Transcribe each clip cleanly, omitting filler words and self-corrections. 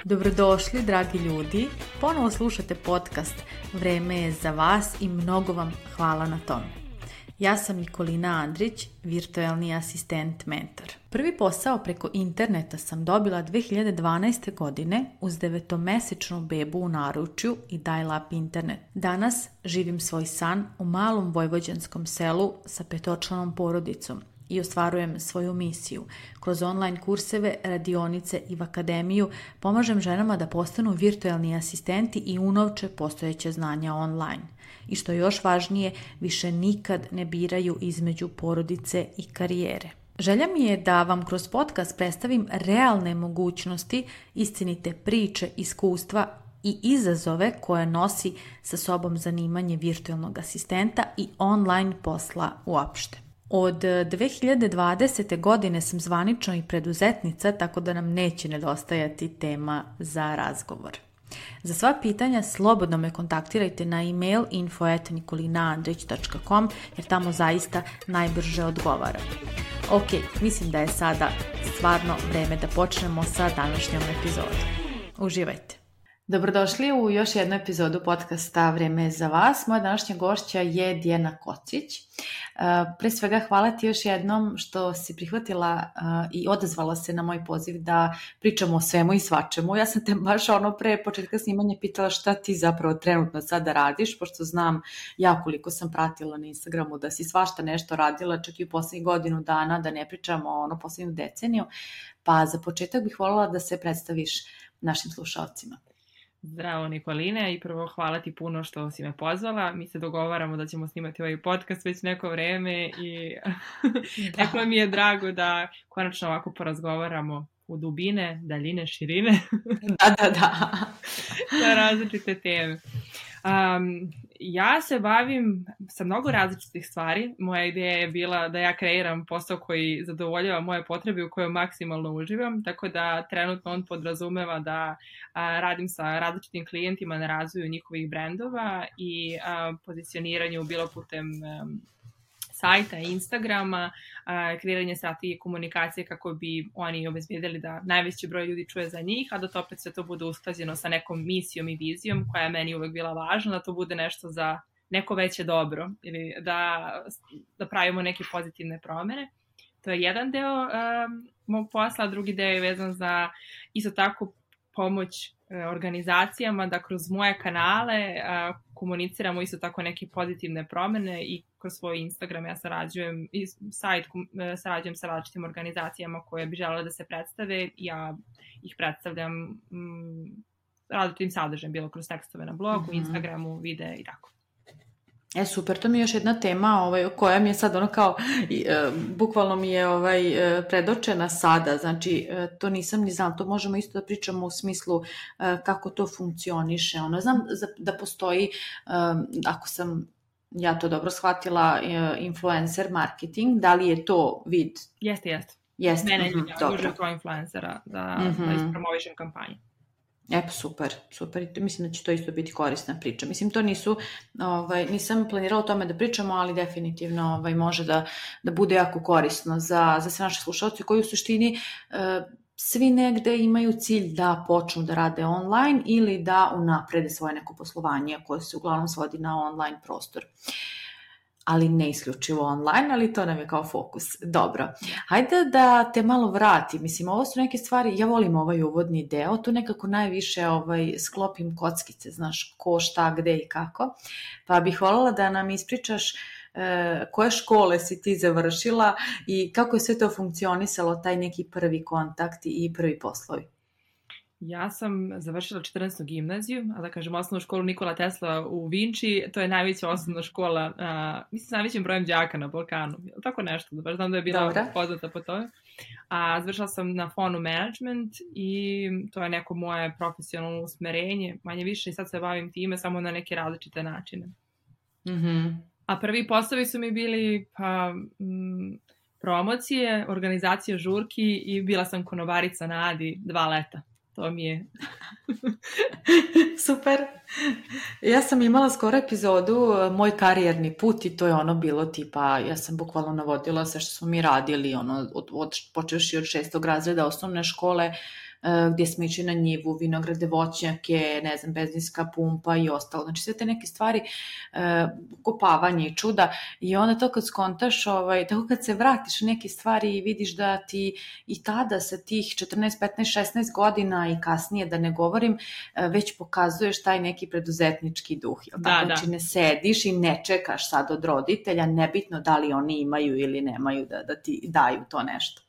Dobrodošli, dragi ljudi. Ponovo slušate podcast Vreme je za vas i mnogo vam hvala na tome. Ja sam Nikolina Andrić, virtualni asistent mentor. Prvi posao preko interneta sam dobila 2012. godine uz 9-mesečnu bebu u naručju i dial-up internet. Danas živim svoj san u malom vojvođanskom selu sa 5-članom porodicom i ostvarujem svoju misiju. Kroz online kurseve, radionice i v akademiju pomažem ženama da postanu virtualni asistenti i unovče postojeće znanja online. I što je još važnije, više nikad ne biraju između porodice i karijere. Želja mi je da vam kroz podcast predstavim realne mogućnosti, istinite priče, iskustva i izazove koje nosi sa sobom zanimanje virtualnog asistenta i online posla uopšte. Od 2020. godine sam zvanično i preduzetnica, tako da nam neće nedostajati tema za razgovor. Za sva pitanja slobodno me kontaktirajte na email info@nikolinaandrić.com jer tamo zaista najbrže odgovaram. Ok, mislim da je sada stvarno vreme da počnemo sa današnjom epizodom. Uživajte! Dobrodošli u još jednu epizodu podcasta Vreme je za vas. Moja današnja gošća je Dijana Kocić. Pre svega hvala ti još jednom što si prihvatila i odazvala se na moj poziv da pričamo o svemu i svačemu. Ja sam te baš pre početka snimanja pitala šta ti zapravo trenutno sada radiš, pošto znam ja koliko sam pratila na Instagramu da si svašta nešto radila, čak i u posljednjih godinu dana, da ne pričamo o posljednju deceniju. Pa za početak bih voljela da se predstaviš našim slušalcima. Zdravo Nikoline i prvo hvala ti puno što si me pozvala. Mi se dogovaramo da ćemo snimati ovaj podcast već neko vreme i tako mi je drago da konačno ovako porazgovaramo u dubine, daljine, širine. Da. Na različite teme. Ja se bavim sa mnogo različitih stvari. Moja ideja je bila da ja kreiram posao koji zadovoljava moje potrebe u kojoj maksimalno uživam, tako da trenutno on podrazumeva da radim sa različitim klijentima na razvoju njihovih brendova i pozicioniranju bilo putem sajta, Instagrama, kreiranje strategije komunikacije kako bi oni obezbijedili da najveći broj ljudi čuje za njih, a da to opet sve to bude usklađeno sa nekom misijom i vizijom koja je meni uvek bila važna, da to bude nešto za neko veće dobro ili da pravimo neke pozitivne promene. To je jedan deo mog posla, drugi deo je vezan za isto tako pomoć organizacijama da kroz moje kanale komuniciramo isto tako neke pozitivne promene i kroz svoj Instagram ja sarađujem i sajt sarađujem sa različitim organizacijama koje bi želele da se predstave. Ja ih predstavljam različitim sadržajem, bilo kroz tekstove na blogu, Instagramu, videe i tako. Super, to mi je još jedna tema koja mi je sad bukvalno mi je predočena sada, znači to nisam ni znala, to možemo isto da pričamo u smislu kako to funkcioniše. Znam da postoji, ako sam ja to dobro shvatila, influencer marketing, da li je to vid? Jeste. Mene duže kao influencera da ispromovišem kampanju. Super. Mislim da će to isto biti korisna priča. Mislim, to nisam planirala o tome da pričamo, ali definitivno može da bude jako korisno za sve naše slušalce koji u suštini svi negde imaju cilj da počnu da rade online ili da unaprede svoje neko poslovanje koje se uglavnom svodi na online prostor. Ali ne isključivo online, ali to nam je kao fokus. Dobro, hajde da te malo vratim. Mislim, ovo su neke stvari, ja volim ovaj uvodni deo, tu nekako najviše sklopim kockice, znaš, ko, šta, gde i kako. Pa bih voljela da nam ispričaš koje škole si ti završila i kako je sve to funkcionisalo, taj neki prvi kontakt i prvi poslovi. Ja sam završila 14. gimnaziju, a da kažem osnovnu školu Nikola Tesla u Vinči, to je najveća osnovna škola, mislim s najvećim brojem đaka na Balkanu, tako nešto, baš znam da je bila poznata po tome. A završila sam na fonu management i to je neko moje profesionalno usmerenje, manje više i sad se bavim time samo na neke različite načine. A prvi poslovi su mi bili promocije, organizacija žurki i bila sam konobarica na Adi 2 leta. to mi je. Super. Ja sam imala skoro epizodu Moj karijerni put i to je ono bilo tipa, ja sam bukvalno navodila sve što smo mi radili, ono, počevši od 6. razreda osnovne škole, gdje smo išli na njivu, vinograde, voćnjake, ne znam, benzinska pumpa i ostalo. Znači sve te neke stvari, kopavanje i čuda i onda to kad skontaš, tako kad se vratiš u neke stvari i vidiš da ti i tada sa tih 14, 15, 16 godina i kasnije da ne govorim, već pokazuješ taj neki preduzetnički duh. Znači ne sediš i ne čekaš sad od roditelja, nebitno da li oni imaju ili nemaju da ti daju to nešto.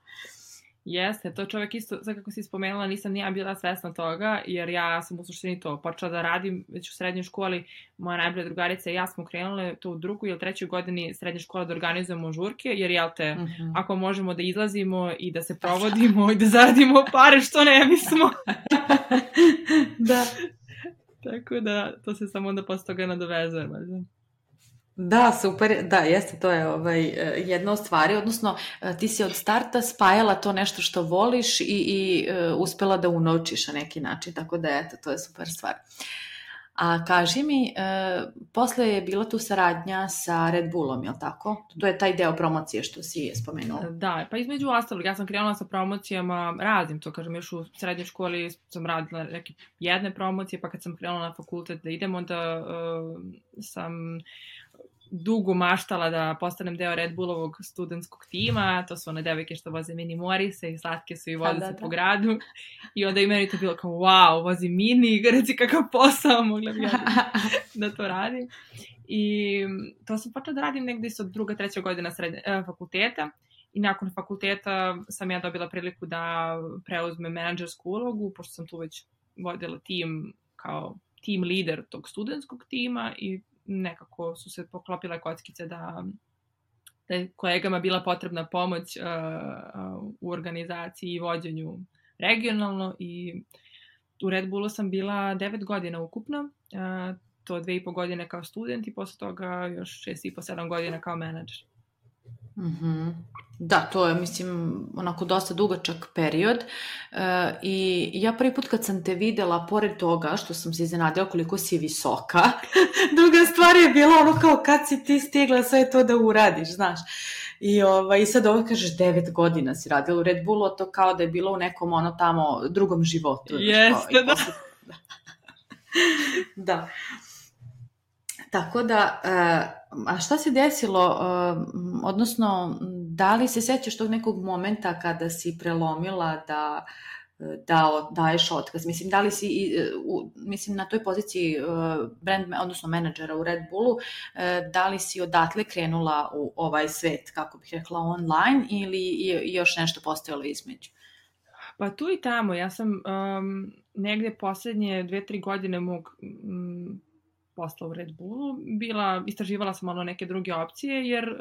Jeste, to čovjek isto, sad kako si spomenula, nisam ni ja bila svesna toga, jer ja sam u suštini to počela da radim već u srednjoj školi, moja najbolja drugarica i ja smo krenule to u 2. ili 3. godini srednje škole da organizujemo žurke, jer ako možemo da izlazimo i da se provodimo i da zaradimo pare, što ne bismo. Da. Tako da, to se samo onda posle toga nadovezuje. Da, super, da, jeste, to je jedna od stvari, odnosno ti si od starta spajala to nešto što voliš i uspela da unovčiš na neki način, tako da eto, to je super stvar. A kaži mi, posle je bila tu saradnja sa Red Bullom, je li tako? To je taj deo promocije što si spomenula. Da, pa između ostalog, ja sam krenula sa promocijama, radim to, kažem, još u srednjoj školi sam radila neke jedne promocije, pa kad sam krenula na fakultet da idem, onda sam dugo maštala da postanem deo Red Bullovog studentskog tima, to su one devojke što voze mini morise i slatke su i voze se po gradu i onda i meni to bilo kao wow, vozi mini, reci kakav posao, mogla bi ja da to radim. I to sam počela da radim negdje od 2. 3. godina fakulteta i nakon fakulteta sam ja dobila priliku da preuzmem menadžersku ulogu, pošto sam tu već vodila tim kao team leader tog studentskog tima i nekako su se poklopile kockice da je kolegama bila potrebna pomoć u organizaciji i vođenju regionalno i u Red Bullu sam bila 9 godina ukupno, to 2,5 godine kao student i posle toga još 6,5-7 godina kao menadžer. Mm-hmm. Da, to je, mislim, onako dosta dugačak period i ja prvi put kad sam te videla, pored toga što sam se iznenadila koliko si visoka, druga stvar je bila ono kao kad si ti stigla sve to da uradiš, znaš. I sad ovo kažeš 9 godina si radila u Red Bullu, to kao da je bilo u nekom ono tamo drugom životu. Jeste, da. Da. Tako da, a šta se desilo, odnosno, da li se sećaš tog nekog momenta kada si prelomila da daješ otkaz? Mislim, da li si, na toj poziciji odnosno menadžera u Red Bullu, da li si odatle krenula u ovaj svet, kako bih rekla, online ili još nešto postojalo između? Pa tu i tamo, ja sam negde poslednje 2-3 godine mog posla u Red Bullu, istraživala sam malo neke druge opcije, jer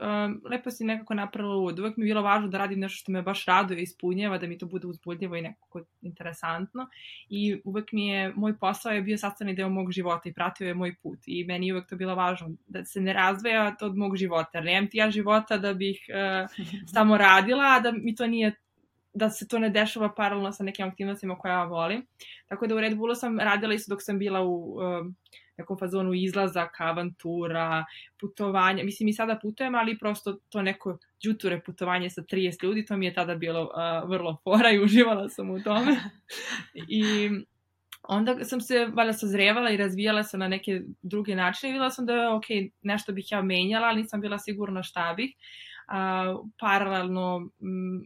lepo si nekako napravila uvod. Uvek mi je bilo važno da radim nešto što me baš raduje i ispunjava, da mi to bude uzbudljivo i nekako interesantno. I uvek moj posao je bio sastavni deo mog života i pratio je moj put. I meni je uvek to bilo važno, da se ne razdvaja to od mog života. Jer nemam ti ja života da bih samo radila, a da mi to nije, da se to ne dešava paralelno sa nekim aktivnostima koje ja volim. Tako da u Red Bullu sam radila isto dok sam bila u nekom fazonu izlazaka, avantura, putovanja. Mislim, i sada putujem, ali prosto to neko đuture putovanje sa 30 ljudi, to mi je tada bilo vrlo fora i uživala sam u tome. I onda sam se valjda sazrevala i razvijala se na neke druge načine i videla sam da je nešto bih ja menjala, ali nisam bila sigurna šta bih. Paralelno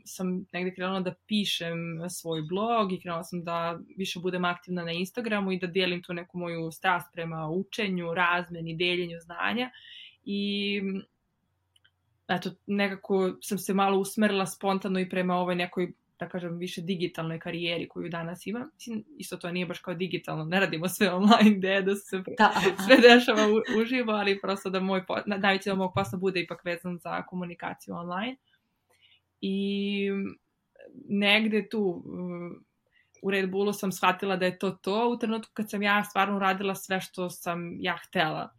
sam negdje krenula da pišem svoj blog i krenula sam da više budem aktivna na Instagramu i da dijelim tu neku moju strast prema učenju, razmeni, deljenju znanja i eto, nekako sam se malo usmerila spontano i prema ovoj nekoj, da kažem, više digitalnoj karijeri koju danas imam. Mislim, isto to nije baš kao digitalno, ne radimo sve online, da se sve dešava uživo, ali prosto da najveći da mog posla bude ipak vezan za komunikaciju online. I negde tu u Red Bullu sam shvatila da je to u trenutku kad sam ja stvarno radila sve što sam ja htela.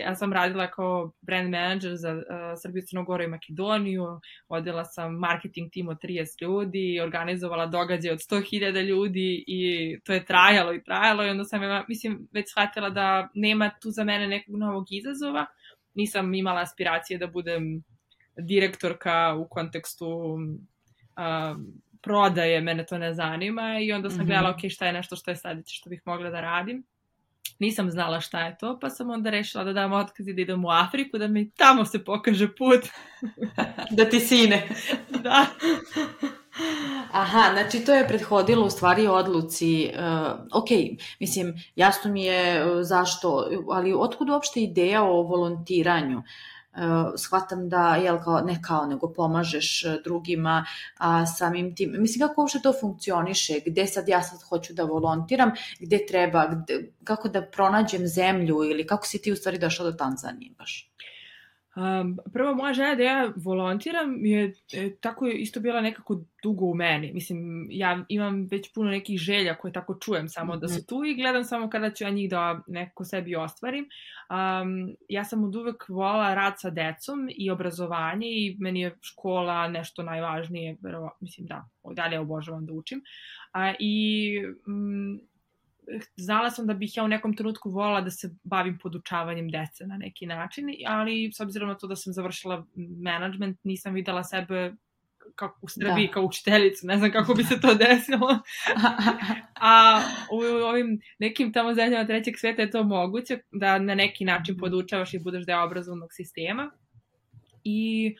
Ja sam radila kao brand manager za Srbiju, Crnu Goru i Makedoniju, vodila sam marketing tim od 30 ljudi, organizovala događaj od 100.000 ljudi i to je trajalo i onda sam već shvatila da nema tu za mene nekog novog izazova. Nisam imala aspiracije da budem direktorka u kontekstu prodaje, mene to ne zanima i onda sam gledala šta je nešto što je sledeće što bih mogla da radim. Nisam znala šta je to, pa sam onda rešila da dam otkaz i da idem u Afriku, da mi tamo se pokaže put. Da ti sine. Da. Aha, znači to je prethodilo u stvari odluci, ok, mislim, jasno mi je zašto, ali otkud uopšte ideja o volontiranju? Shvatam da, nego pomažeš drugima, a samim tim, mislim, kako uopšte to funkcioniše, gde sad ja hoću da volontiram, gde treba, kako da pronađem zemlju ili kako si ti u stvari došla do Tanzanije baš? Prvo, moja želja da ja volontiram je tako isto bila nekako dugo u meni. Mislim, ja imam već puno nekih želja koje tako čujem samo da su tu i gledam samo kada ću ja njih da nekako sebi ostvarim. Ja sam od uvek volala rad sa decom i obrazovanje i meni je škola nešto najvažnije. Mislim, da, dalje obožavam da učim. Znala sam da bih ja u nekom trenutku volila da se bavim podučavanjem dece na neki način, ali s obzirom na to da sam završila management, nisam videla sebe kako u Srbiji kao učiteljicu, ne znam kako bi se to desilo. A u ovim nekim tamo zemljama trećeg sveta je to moguće, da na neki način podučavaš i budeš deo obrazovnog sistema. I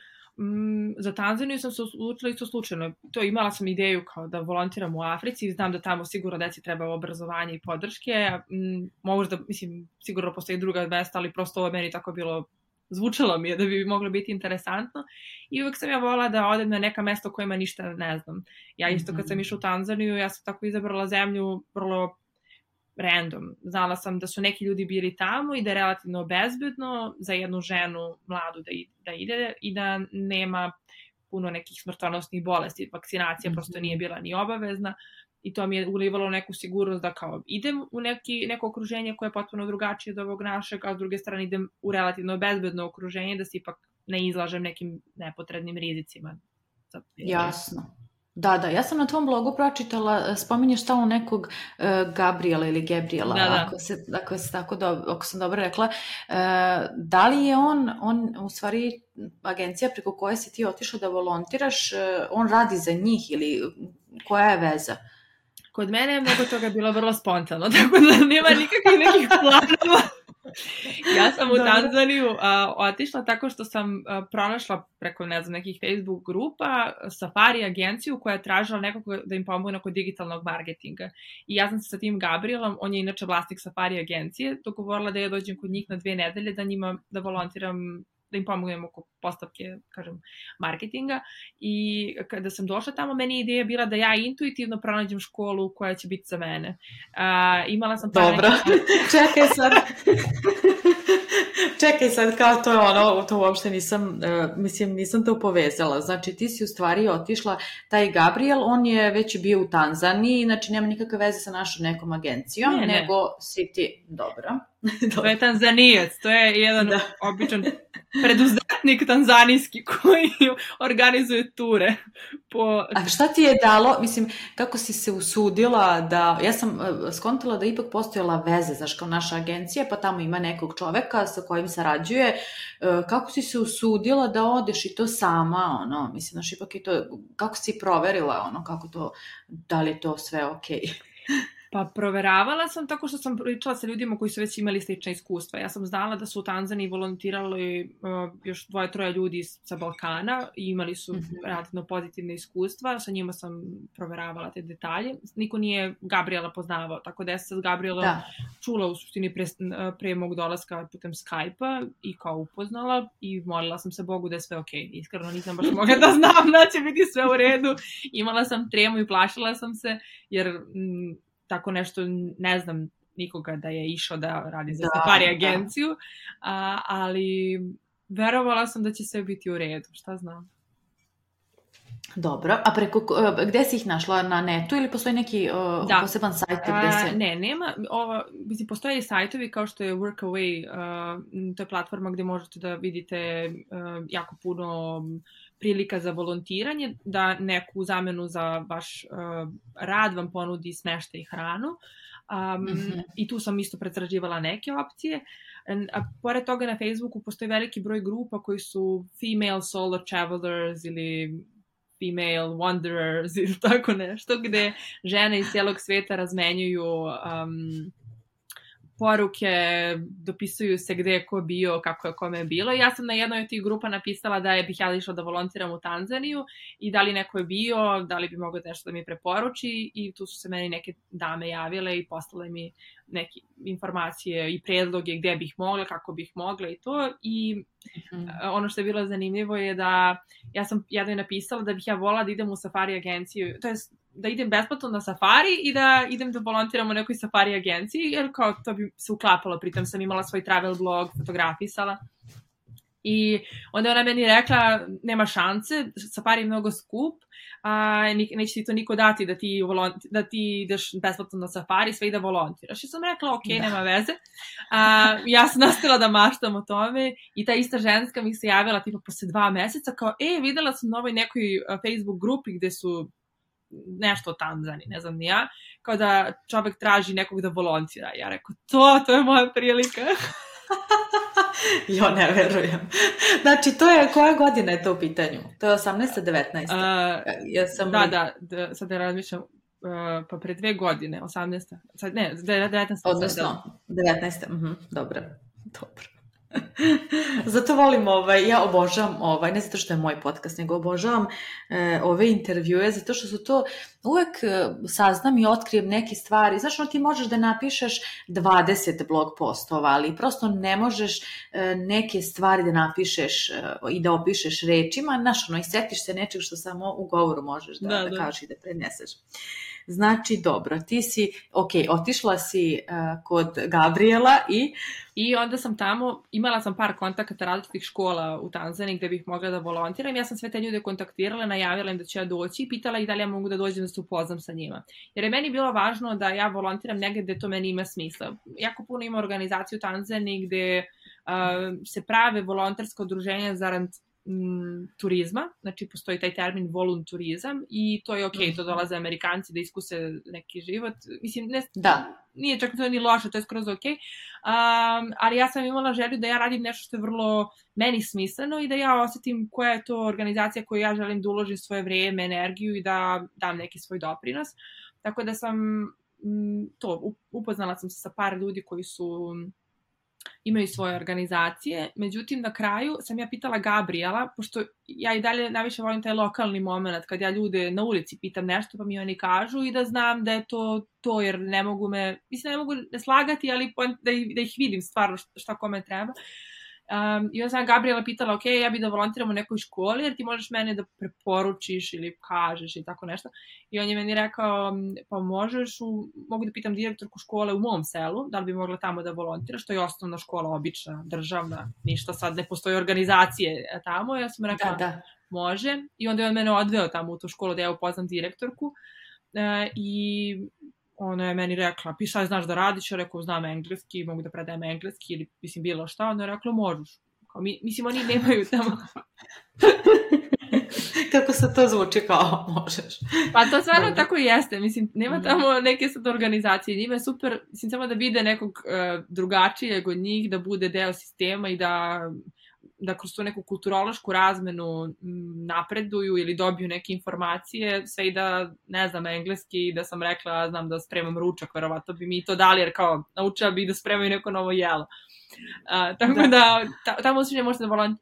za Tanzaniju sam se odlučila isto slučajno. Imala sam ideju kao da volontiram u Africi i znam da tamo sigurno deci treba obrazovanje i podrške. Možda, mislim, sigurno postoji druga mesta, ali prosto ovo meni tako bilo, zvučalo mi je da bi moglo biti interesantno. I uvek sam ja volila da odem na neka mesta o kojima ništa ne znam. Ja isto kad sam išla u Tanzaniju, ja sam tako izabrala zemlju vrlo random. Znala sam da su neki ljudi bili tamo i da je relativno bezbedno za jednu ženu mladu da ide i da nema puno nekih smrtonosnih bolesti. Vakcinacija prosto nije bila ni obavezna i to mi je ulivalo neku sigurnost da kao idem u neko okruženje koje je potpuno drugačije od ovog našeg, a s druge strane idem u relativno bezbedno okruženje da se ipak ne izlažem nekim nepotrebnim rizicima. Jasno. Da, ja sam na tvom blogu pročitala, spominješ stalno nekog Gabriela ili Gabriela, ako sam dobro rekla. Da li je on u stvari agencija preko koje si ti otišla da volontiraš, on radi za njih ili koja je veza? Kod mene je mnogo toga bilo vrlo spontano, tako da nema nikakvih nekih planova. Ja sam u Tanzaniju otišla tako što sam pronašla preko, ne znam, nekih Facebook grupa Safari agenciju koja je tražila nekog da im pomogne oko digitalnog marketinga. I ja sam se sa tim Gabrielom, on je inače vlasnik Safari agencije, dogovorila da ja dođem kod njih na 2 nedelje da volontiram, da im pomognem oko postavke, kažem, marketinga. I kada sam došla tamo, meni ideja bila da ja intuitivno pronađem školu koja će biti za mene. Imala sam... Dobro, čekaj sad, kao to je to uopšte nisam to povezala. Znači, ti si u stvari otišla, taj Gabriel, on je već bio u Tanzaniji, znači nema nikakve veze sa našom nekom agencijom, nego si ti... Dobro. To je Tanzanijac, to je jedan običan preduzetnik tanzanijski koji organizuje ture. A šta ti je dalo, mislim, kako si se usudila da, ja sam skontala da ipak postojala veze, znaš, kao naša agencija, pa tamo ima nekog čoveka sa kojim sarađuje, kako si se usudila da odeš i to sama, mislim, znaš, ipak i to, kako si proverila, kako to, da li je to sve okej? Pa proveravala sam tako što sam pričala sa ljudima koji su već imali slična iskustva. Ja sam znala da su u Tanzaniji volontirali još 2-3 ljudi sa Balkana i imali su relativno pozitivne iskustva. Sa njima sam proveravala te detalje. Niko nije Gabriela poznavao, tako da ja sam Gabriela čula u suštini pre mog dolaska putem Skype-a i kao upoznala i molila sam se Bogu da je sve okej. Iskreno nisam baš mogla da znam da će biti sve u redu. Imala sam tremu i plašila sam se jer... tako nešto, ne znam nikoga da je išao da radi za Safari agenciju, ali verovala sam da će sve biti u redu, šta znam. Dobro, a gde si ih našla, na netu ili postoji neki poseban sajt gde se... Ne, nema, postoje sajtovi kao što je Workaway, to je platforma gde možete da vidite jako puno prilika za volontiranje, da neku zamenu za vaš rad vam ponudi smeštaj i hranu. I tu sam isto pretraživala neke opcije. A pored toga na Facebooku postoji veliki broj grupa koji su female solo travelers ili female wanderers ili tako nešto, gde žene iz cijelog sveta razmenjuju poruke, dopisuju se gde je ko bio, kako je kome je bilo. Ja sam na jednoj od tih grupa napisala da bih ja išla da volontiram u Tanzaniju i da li neko je bio, da li bi mogao nešto da mi preporuči, i tu su se meni neke dame javile i poslale mi neke informacije i predloge gde bih mogla, kako bih mogla i to. I ono što je bilo zanimljivo je da ja sam jednoj napisala da bih ja volala da idem u safari agenciju, to je da idem besplatno na safari i da idem da volontiram u nekoj safari agenciji, jer kao to bi se uklapalo, pritom sam imala svoj travel blog, fotografisala. I onda ona meni rekla, nema šanse, safari je mnogo skup, neće ti to niko dati da ti ideš besplatno na safari, sve i da volontiraš. I sam rekla, ok, nema veze. Ja sam nastavila da maštam o tome i ta ista ženska mi se javila tipa posle 2 meseca, kao, videla sam na ovoj nekoj Facebook grupi gde su nešto o Tanzaniji, ne znam ni ja, kao da čovek traži nekog da volontira. Ja rekao, to je moja prilika. Jo, ne verujem. Znači, to je, koja godina je to u pitanju? To je 18. 19. Da, sad da razmišljam, pa pre 2 godine, 18. Sad, ne, 19. Odnosno, 19. Dobro. Zato volim, ja obožavam, ne zato što je moj podcast, nego obožavam ove intervjue, zato što su to, uvek saznam i otkrijem neke stvari. Znaš, ti možeš da napišeš 20 blog postova, ali prosto ne možeš neke stvari da napišeš i da opišeš rečima, znaš, i setiš se nečeg što samo u govoru možeš da kažeš i da preneseš. Znači, dobro, ti si, otišla si kod Gabriela i onda sam tamo, imala sam par kontakata različitih škola u Tanzaniji gde bih mogla da volontiram. Ja sam sve te ljude kontaktirala, najavila im da ću ja doći i pitala ih da li ja mogu da dođem da se upoznam sa njima. Jer je meni bilo važno da ja volontiram negde gde to meni ima smisla. Jako puno ima organizaciju u Tanzaniji gde se prave volonterska udruženja zarad turizma, znači postoji taj termin volunturizam i to je okej, to dolaze Amerikanci da iskuse neki život, mislim, nije čak to ni loše, to je skroz okej, ali ja sam imala želju da ja radim nešto što je vrlo meni smisleno i da ja osetim koja je to organizacija koju ja želim da uložim svoje vreme, energiju i da dam neki svoj doprinos, tako da sam upoznala sam se sa par ljudi koji imaju svoje organizacije, međutim na kraju sam ja pitala Gabriela, pošto ja i dalje najviše volim taj lokalni moment, kad ja ljude na ulici pitam nešto pa mi oni kažu i da znam da je to jer ne mogu ne mogu ne slagati, ali da ih vidim stvarno šta kome treba. I onda sam Gabriela pitala, ok, ja bih da volontiram u nekoj školi, jer ti možeš mene da preporučiš ili kažeš i tako nešto. I on je meni rekao, pa možeš, mogu da pitam direktorku škole u mom selu, da li bi mogla tamo da volontiraš, to je osnovna škola, obična, državna, ništa sad, ne postoji organizacije tamo. Ja sam rekla, može. I onda je on mene odveo tamo u tu školu da ja upoznam direktorku. I ona je meni rekla, šta znaš da radiš? Ja rekao, znam engleski, mogu da predajem engleski ili mislim bilo šta. Ona je rekla, možeš. Mislim, oni nemaju tamo. Kako se to zvuči kao možeš? Pa to stvarno tako i jeste. Mislim, nema tamo neke sad organizacije. Njima je super, mislim, samo da vide nekog drugačijeg od njih, da bude deo sistema i da kroz tu neku kulturološku razmenu napreduju ili dobiju neke informacije, sve i da ne znam engleski, da sam rekla znam da spremam ručak, verovatno bi mi to dali, jer kao naučila bi da spremaju neko novo jelo. Tako da tamo usljednje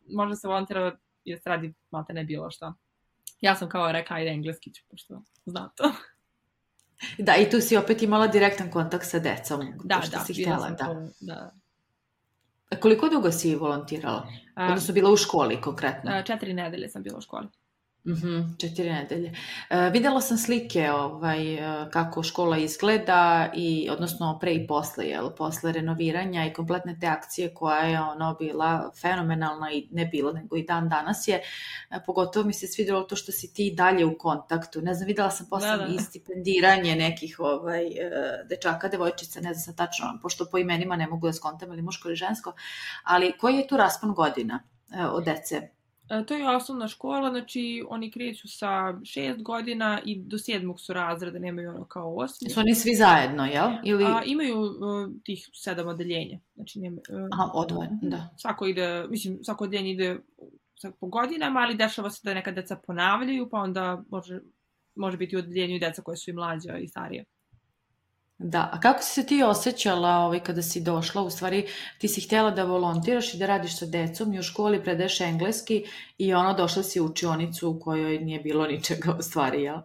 može se volontira jer se radi malte ne bilo šta. Ja sam kao rekla, ajde engleski ću, pošto znam to. Da, i tu si opet imala direktan kontakt sa decom. Da, bila sam to, da. Koliko dugo si volontirala? Odnosno bila u školi konkretno? 4 nedelje sam bila u školi. 4 nedelje. Videla sam slike kako škola izgleda, odnosno pre i posle, posle renoviranja i kompletne te akcije koja je bila fenomenalna i ne bila, nego i dan danas je. Pogotovo mi se svidjelo to što si ti dalje u kontaktu. Ne znam, videla sam posle i stipendiranje nekih dečaka, devojčica, ne znam tačno, pošto po imenima ne mogu da skontam ili muško ili žensko, ali koji je tu raspon godina od dece? To je osnovna škola, znači oni kreću sa 6 godina i do 7. su razreda, nemaju ono kao 8. Su oni svi zajedno, jel? Ili... Imaju tih 7 odeljenja. Znači, odvojeno, da. Svako odeljenje ide po godinama, ali dešava se da neka deca ponavljaju, pa onda može biti u odeljenju i deca koje su i mlađa i starije. Da, a kako si se ti osjećala kada si došla, u stvari ti si htjela da volontiraš i da radiš sa decom i u školi predaješ engleski i došla si u učionicu u kojoj nije bilo ničega u stvari, jel?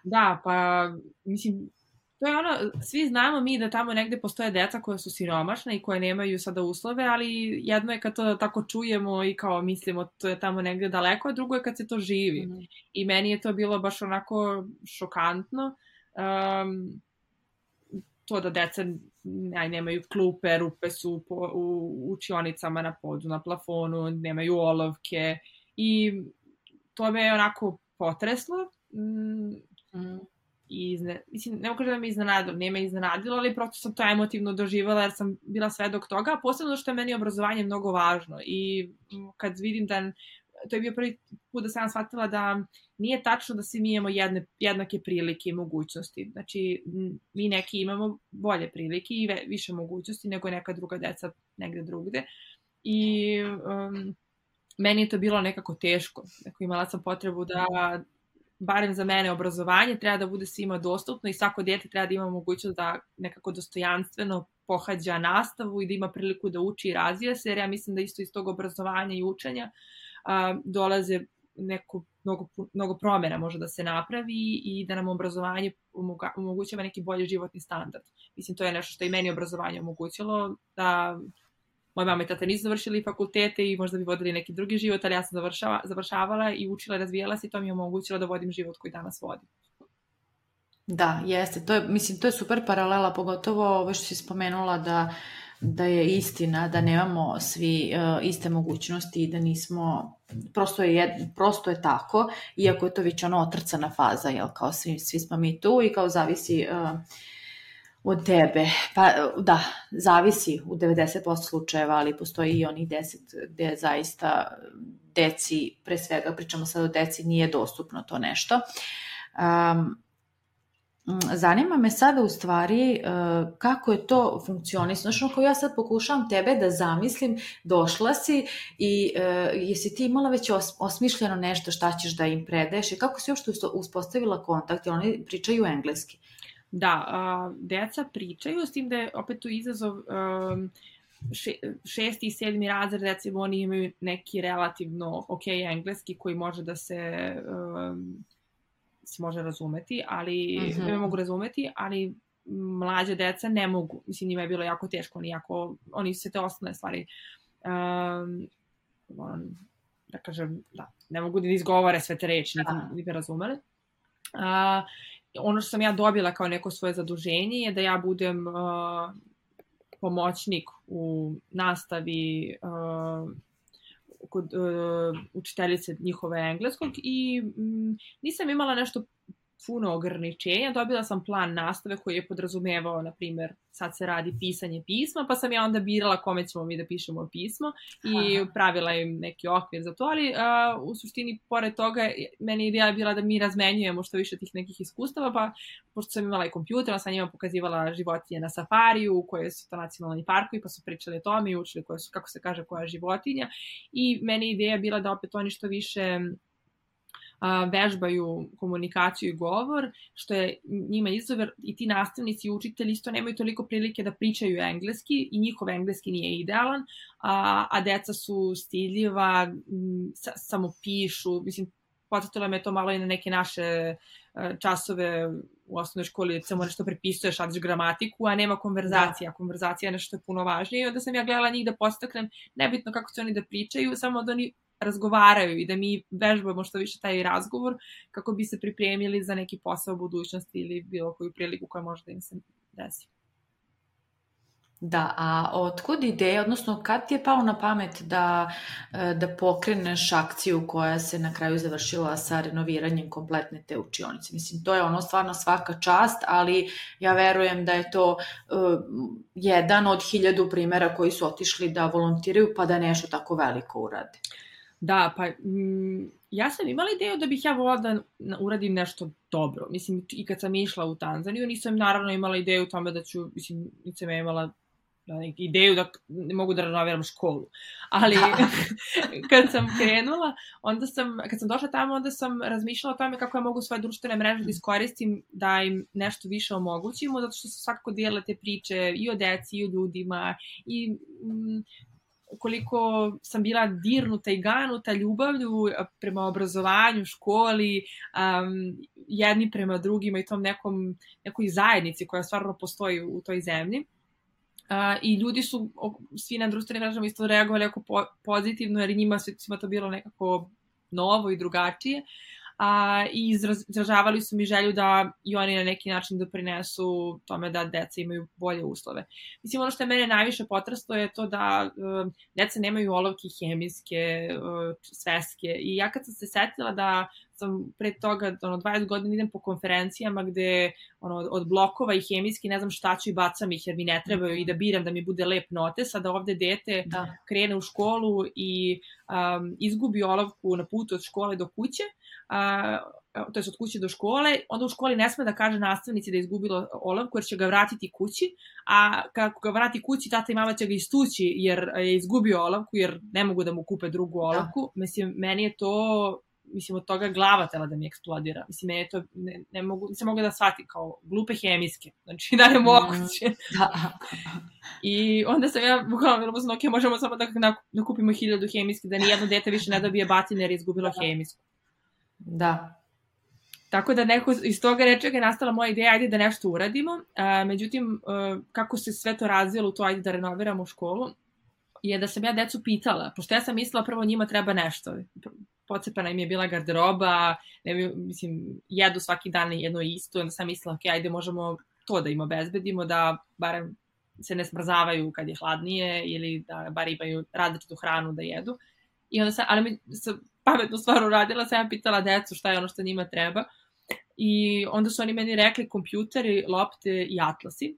Da, pa mislim, to je svi znamo mi da tamo negde postoje deca koja su siromašna i koje nemaju sada uslove, ali jedno je kad to tako čujemo i kao mislimo to je tamo negde daleko, a drugo je kad se to živi. I meni je to bilo baš onako šokantno. To da deca nemaju klupe, rupe su u učionicama na podu, na plafonu, nemaju olovke i to me je onako potreslo. Mislim, ne mogu da me iznenadilo, nije me iznenadilo, ali prosto sam to emotivno doživjela jer sam bila svedok toga, a posebno što je meni obrazovanje mnogo važno i kad vidim da to je bio prvi put da sam shvatila da nije tačno da svi mi imamo jednake prilike i mogućnosti. Znači, mi neki imamo bolje prilike i više mogućnosti nego neka druga deca negde drugde. I meni je to bilo nekako teško. Imala sam potrebu da, barem za mene, obrazovanje treba da bude svima dostupno i svako dete treba da ima mogućnost da nekako dostojanstveno pohađa nastavu i da ima priliku da uči i razvija se, jer ja mislim da isto iz tog obrazovanja i učenja dolaze mnogo promjena može da se napravi i da nam obrazovanje omogućava neki bolji životni standard. Mislim, to je nešto što i meni obrazovanje omogućilo, da moja mama i tata nisu završili fakultete i možda bi vodili neki drugi život, ali ja sam završavala i učila i razvijala se i to mi je omogućilo da vodim život koji danas vodim. Da, jeste. To je super paralela, pogotovo ovo što si spomenula da je istina, da nemamo svi iste mogućnosti i da nismo, prosto je tako, iako je to već otrcana faza, jel, kao svi smo mi tu i kao zavisi od tebe. Pa da, zavisi u 90% slučajeva, ali postoji i onih 10 gde zaista deci, pre svega pričamo sad o deci, nije dostupno to nešto. Zanima me sada u stvari kako je to funkcionisano. Znači, ako ja sad pokušavam tebe da zamislim, došla si i jesi ti imala već osmišljeno nešto šta ćeš da im predaješ i kako si uopšte uspostavila kontakt, jer oni pričaju engleski? Da, deca pričaju, s tim da je opet tu izazov 6. i 7. razred, recimo oni imaju neki relativno ok engleski koji može da se može razumeti, ali mogu razumeti, ali mlađe deca ne mogu. Mislim, njima je bilo jako teško, oni su se te osnovne stvari da kažem, da, ne mogu da izgovore sve te reči, niti bi razumeli. Ono što sam ja dobila kao neko svoje zaduženje je da ja budem pomoćnik u nastavi kod učiteljice njihove engleskog i nisam imala nešto puno ograničenja, dobila sam plan nastave koji je podrazumevao, na primjer, sad se radi pisanje pisma, pa sam ja onda birala kome ćemo mi da pišemo pismo i pravila im neki okvir za to, ali u suštini, pored toga, meni ideja je bila da mi razmenjujemo što više tih nekih iskustava, pa pošto sam imala i kompjuter, sam njima pokazivala životinje na safariju, koje su to nacionalni parkovi, pa su pričali o tome i učili kako se kaže koja je životinja i meni ideja je bila da opet oni što više vežbaju komunikaciju i govor, što je njima izazov, i ti nastavnici i učitelji isto nemaju toliko prilike da pričaju engleski i njihov engleski nije idealan, a deca su stidljiva, samo pišu, mislim, podsjetilo me to malo i na neke naše časove u osnovnoj školi, samo nešto prepisuješ, radiš gramatiku, a nema konverzacija. Konverzacija je nešto je puno važnije i onda sam ja gledala njih da podstaknem, nebitno kako će oni da pričaju, samo da oni razgovaraju i da mi vežbamo što više taj razgovor kako bi se pripremili za neki posao u budućnosti ili bilo koju priliku koja može da im se desi. Da, a otkud ideja, odnosno kad ti je pao na pamet da pokreneš akciju koja se na kraju završila sa renoviranjem kompletne te učionice? Mislim, to je ono stvarno svaka čast, ali ja verujem da je to jedan od 1000 primjera koji su otišli da volontiraju pa da nešto tako veliko urade. Da, pa ja sam imala ideju da bih ja volila da uradim nešto dobro. Mislim, i kad sam išla u Tanzaniju, nisam naravno imala ideju u tome da ću, mislim, nisam imala ideju da ne mogu da renoviram školu. Ali kad sam krenula, kad sam došla tamo, onda sam razmišljala o tome kako ja mogu svoje društvene mreže da iskoristim, da im nešto više omogućimo, zato što se svakako dijele te priče i o deci, i o ljudima, i koliko sam bila dirnuta i ganuta ljubavlju prema obrazovanju, školi, jedni prema drugima i tom nekoj zajednici koja stvarno postoji u toj zemlji. I ljudi su svi na društvenim mrežama isto reagovali jako pozitivno, jer njima svima to bilo nekako novo i drugačije. I izražavali su mi želju da i oni na neki način doprinesu tome da deca imaju bolje uslove. Mislim, ono što je mene najviše potraslo je to da deca nemaju olovke hemijske, sveske. I ja kad sam se setila da sam pre toga 20 godina idem po konferencijama gde od blokova i hemijski ne znam šta ću i bacam ih jer mi ne trebaju i da biram da mi bude lep notes, a da ovde dete krene u školu i izgubi olovku na putu od škole do kuće, to je od kuće do škole, onda u školi ne sme da kaže nastavnici da je izgubilo olovku jer će ga vratiti kući, a kako ga vrati kući, tata i mama će ga istući jer je izgubio olovku jer ne mogu da mu kupe drugu olovku. Mislim, meni je to, od toga glava tela da mi eksplodira. Mislim, meni je to, nisam mogla da shvatim kao glupe hemijske. Znači, da ne moguće. I onda sam ja bukvalno bilo sam, ok, možemo samo da kupimo 1000 hemijske, da nijedno dete više ne dobije batine jer je izgubilo hemijsku. Da. Tako da neko iz toga nečega je nastala moja ideja, ajde da nešto uradimo. Međutim, kako se sve to razvijelo u to, ajde da renoviramo školu, je da sam ja decu pitala, pošto ja sam mislila prvo njima treba nešto. Pocepana im je bila garderoba, mislim, jedu svaki dan jedno isto, onda sam mislila, ok, ajde možemo to da im obezbedimo, da barem se ne smrzavaju kad je hladnije ili da bar imaju različitu hranu da jedu. I onda ali sam pametnu stvar uradila, sam ja pitala decu šta je ono što njima treba i onda su oni meni rekli kompjuteri, lopte i atlasi.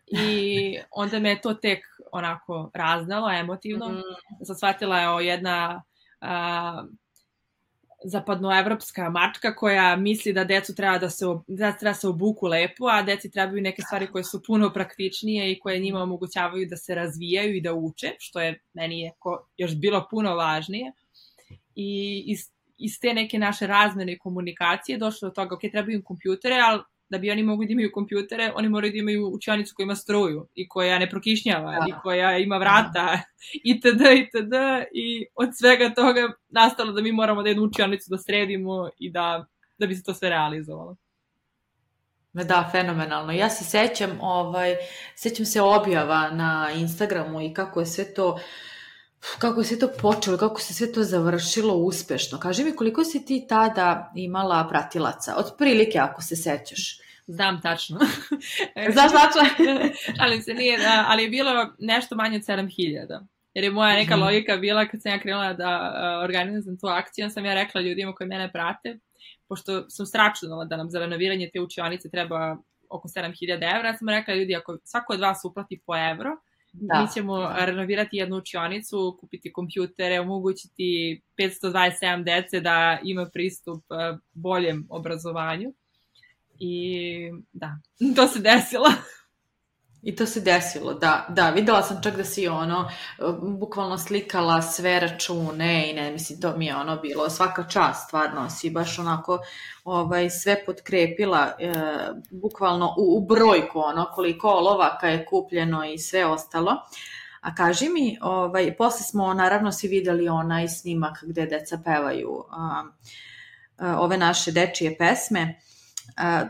I onda me to tek onako raznalo, emotivno. Sam shvatila je jedna zapadnoevropska mačka koja misli da decu treba da se obuku lepo, a deci trebaju neke stvari koje su puno praktičnije i koje njima omogućavaju da se razvijaju i da uče, što je meni još bilo puno važnije. I iz te neke naše razmene i komunikacije došlo do toga, ok, trebaju im kompjutere, ali da bi oni mogli da imaju kompjutere, oni moraju da imaju učionicu koja ima struju i koja ne prokišnjava i koja ima vrata itd. I od svega toga nastalo da mi moramo da jednu učionicu da sredimo i da bi se to sve realizovalo. Da, fenomenalno. Ja se sećam se objava na Instagramu i kako je sve to počelo, kako se sve to završilo uspešno. Kaži mi, koliko si ti tada imala pratilaca? Otprilike, ako se sećaš. Znam tačno. Znaš tačno? Ali je bilo nešto manje od 7000. Jer je moja neka logika bila kad sam ja krenula da organizujem tu akciju, sam ja rekla ljudima koji mene prate, pošto sam sračunala da nam za renoviranje te učionice treba oko 7000 evra, ja sam rekla ljudi, ako svako od vas uplati po evro, mi ćemo renovirati jednu učionicu, kupiti kompjutere, omogućiti 527 dece da ima pristup boljem obrazovanju. I da, to se desilo. I to se desilo, da, videla sam čak da si bukvalno slikala sve račune i ne, mislim, to mi je bilo svaka čast, stvarno, si baš onako sve potkrepila, bukvalno u brojku, koliko olovaka je kupljeno i sve ostalo. A kaži mi, posle smo naravno svi videli onaj snimak gde deca pevaju ove naše dečije pesme.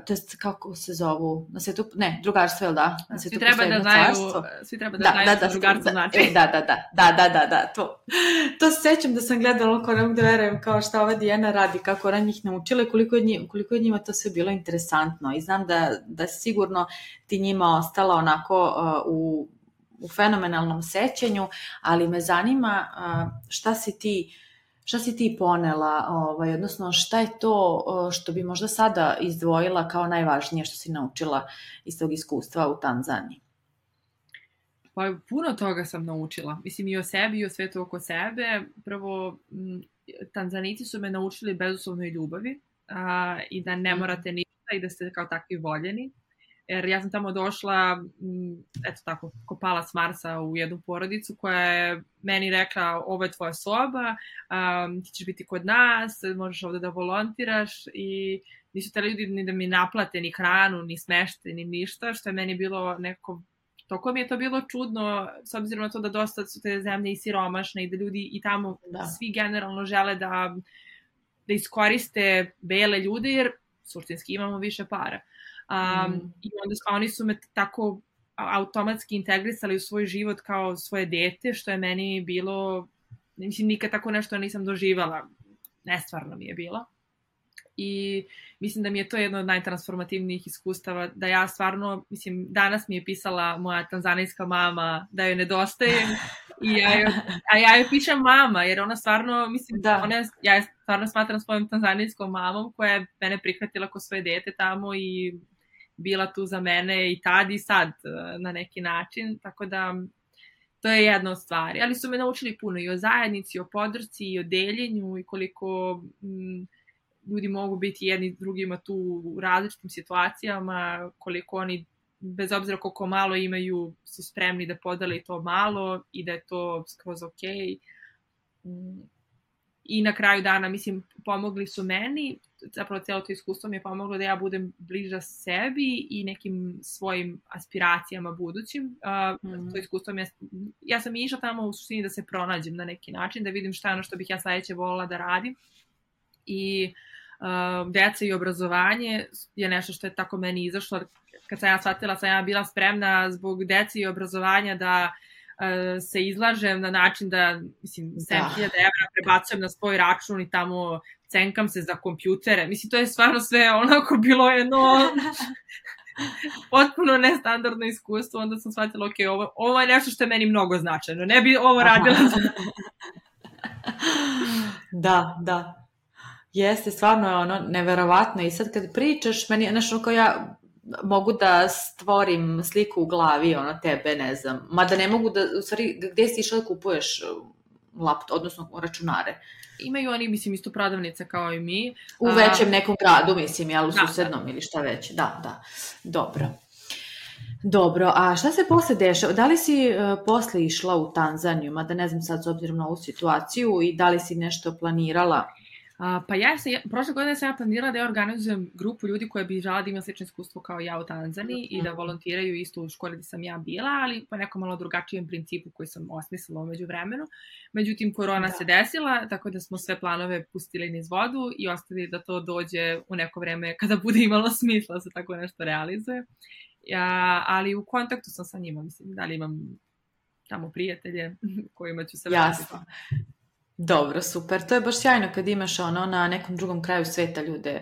to jest kako se zovu, na svetu, ne, drugarstvo, jel da? Na svi treba da znaju, svi treba da znaju što drugarstvo znači. Da, to se sećam da sam gledala, ko ne mogu da verujem, kao šta ova Dijana radi, kako ona njih naučila i koliko je njima to sve bilo interesantno. I znam da sigurno ti njima ostala onako u fenomenalnom sećanju, ali me zanima šta si ti ponela, odnosno šta je to što bi možda sada izdvojila kao najvažnije što si naučila iz tog iskustva u Tanzaniji? Pa puno toga sam naučila. Mislim i o sebi i o svetu oko sebe. Prvo, Tanzanici su me naučili bezuslovnoj ljubavi i da ne morate ništa i da ste kao takvi voljeni. Jer ja sam tamo došla, eto tako, kopala s Marsa u jednu porodicu koja je meni rekla, ovo je tvoja soba, ti ćeš biti kod nas, možeš ovde da volontiraš i nisu te ljudi ni da mi naplate ni hranu, ni smeštaj, ni ništa, što je meni bilo nekako, toliko mi je to bilo čudno, s obzirom na to da dosta su te zemlje i siromašne i da ljudi i tamo svi generalno žele da iskoriste bele ljude jer suštinski imamo više para. I onda oni su me tako automatski integrisali u svoj život kao svoje dete, što je meni bilo, mislim, nikad tako nešto nisam doživala, nestvarno mi je bilo. I mislim da mi je to jedno od najtransformativnijih iskustava, da ja stvarno, mislim, danas mi je pisala moja tanzanijska mama da joj nedostaje a ja joj pišem mama, jer ona stvarno, mislim, ja je stvarno smatram svojom tanzanijskom mamom koja je mene prihvatila ko svoje dete tamo i bila tu za mene i tad i sad na neki način, tako da to je jedna od stvari. Ali su me naučili puno i o zajednici, i o podršci, i o deljenju i koliko ljudi mogu biti jedni drugima tu u različitim situacijama, koliko oni, bez obzira koliko malo imaju, su spremni da podele to malo i da je to skroz okej. I na kraju dana, mislim, pomogli su meni, zapravo cijelo to iskustvo mi je pomoglo da ja budem bliža sebi i nekim svojim aspiracijama budućim. To iskustvo ja sam išla tamo u suštini da se pronađem na neki način, da vidim šta je ono što bih ja sledeće volila da radim. I deca i obrazovanje je nešto što je tako meni izašlo. Kad sam ja shvatila, sam ja bila spremna zbog dece i obrazovanja da se izlažem na način da, mislim, 7.000 evra prebacujem na svoj račun i tamo cenkam se za kompjutere. Mislim, to je stvarno sve onako bilo jedno potpuno nestandardno iskustvo. Onda sam shvatila, ok, ovo je nešto što je meni mnogo značajno. Ne bi ovo radila. Da. Jeste, stvarno je ono neverovatno i sad kad pričaš, meni je nešto kao ja mogu da stvorim sliku u glavi, ono tebe, ne znam, mada ne mogu da, u stvari, gde si išla da kupuješ laptop, odnosno računare? Imaju oni, mislim, isto prodavnice kao i mi. U većem nekom gradu, mislim, jel, u susednom ili šta već, da, Dobro, a šta se posle dešava? Da li si posle išla u Tanzaniju, mada ne znam sad s obzirom na ovu situaciju i da li si nešto planirala? Pa prošle godine sam ja planirala da ja organizujem grupu ljudi koja bi žela da ima slično iskustvo kao ja u Tanzaniji i da volontiraju isto u školi gde sam ja bila, ali po nekom malo drugačijem principu koji sam osmislila umeđu vremenu. Međutim, korona se desila, tako da smo sve planove pustili niz vodu i ostavili da to dođe u neko vreme kada bude imalo smisla da se tako nešto realizuje. Ali u kontaktu sam sa njima, mislim, da li imam tamo prijatelje kojima ću se vratiti. Jasno. Dobro, super. To je baš sjajno kad imaš ono na nekom drugom kraju sveta ljude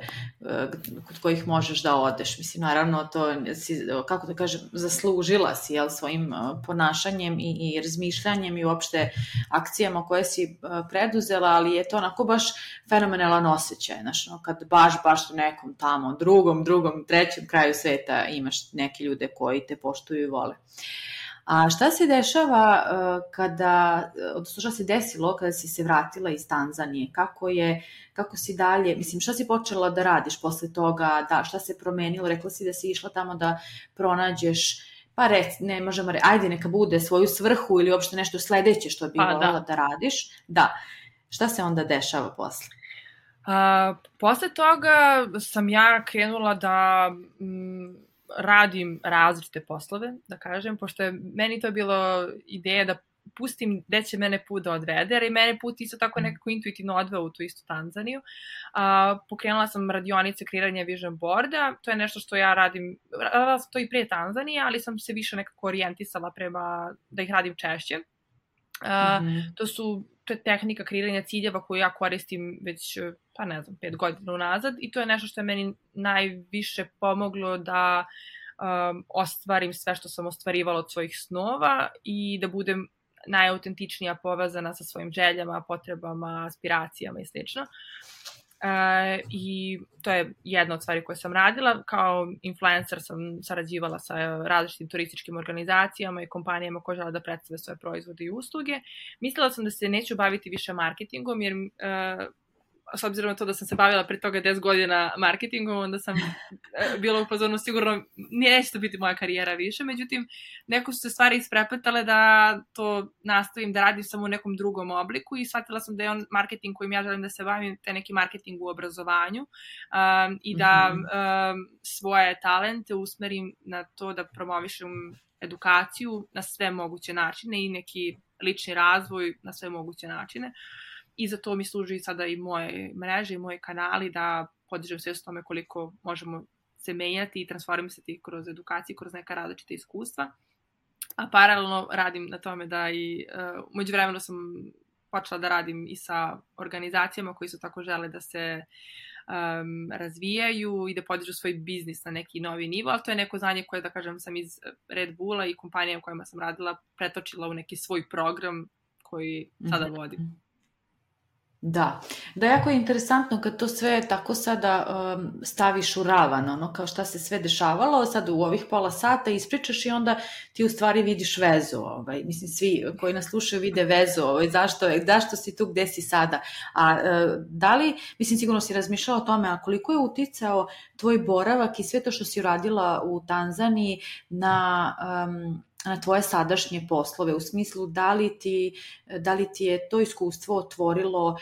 kod kojih možeš da odeš. Mislim, naravno, to si, kako da kažem, zaslužila si, jel, svojim ponašanjem i razmišljanjem i uopšte akcijama koje si preduzela, ali je to onako baš fenomenalan osjećaj. Znaš, kad baš u nekom tamo drugom, trećem kraju sveta imaš neke ljude koji te poštuju i vole. A šta se dešava odnosno šta se desilo kada si se vratila iz Tanzanije? Kako si dalje, mislim, šta si počela da radiš posle toga, šta se promenilo? Rekla si da si išla tamo da pronađeš, pa ne možemo reći, ajde neka bude svoju svrhu ili uopšte nešto sledeće što bi voljela da radiš. Da, šta se onda dešava posle? Posle toga sam ja krenula da radim različite poslove, da kažem, pošto je meni to bilo ideja da pustim gde će mene put da odvede, jer i mene put isto tako nekako intuitivno odveo u tu istu Tanzaniju. Pokrenula sam radionice kreiranja vision boarda, to je nešto što ja radim, radila sam to i prije Tanzanije, ali sam se više nekako orijentisala prema da ih radim češće. To je tehnika kreiranja ciljeva koju ja koristim već, 5 godina unazad, i to je nešto što je meni najviše pomoglo da ostvarim sve što sam ostvarivala od svojih snova i da budem najautentičnija povezana sa svojim željama, potrebama, aspiracijama i slično. I to je jedna od stvari koje sam radila. Kao influencer sam sarađivala sa različitim turističkim organizacijama i kompanijama koje žele da predstave svoje proizvode i usluge. Mislila sam da se neću baviti više marketingom, jer s obzirom na to da sam se bavila pre toga 10 godina marketingom, onda sam bila u fazonu sigurno neće to biti moja karijera više, međutim neko su se stvari isprepletale da to nastavim da radim samo u nekom drugom obliku i shvatila sam da je on marketing kojim ja želim da se bavim, te neki marketing u obrazovanju i da svoje talente usmerim na to da promovišem edukaciju na sve moguće načine i neki lični razvoj na sve moguće načine. I za to mi služi sada i moje mreže i moji kanali da podižem svest o tome koliko možemo se menjati i transformisati kroz edukaciju, kroz neka različita iskustva. A paralelno radim na tome da i međuvremeno sam počela da radim i sa organizacijama koji su tako žele da se razvijaju i da podižu svoj biznis na neki novi nivo, ali to je neko znanje koje, da kažem, sam iz Red Bulla i kompanija u kojima sam radila pretočila u neki svoj program koji sada vodim. Da, jako je interesantno kad to sve tako sada staviš u ravan, ono kao šta se sve dešavalo, sad u ovih pola sata ispričaš i onda ti u stvari vidiš vezu, mislim svi koji nas slušaju vide vezu, zašto si tu gde si sada, a da li, mislim sigurno si razmišljala o tome, a koliko je uticao tvoj boravak i sve to što si uradila u Tanzaniji na tvoje sadašnje poslove, u smislu da li ti je to iskustvo otvorilo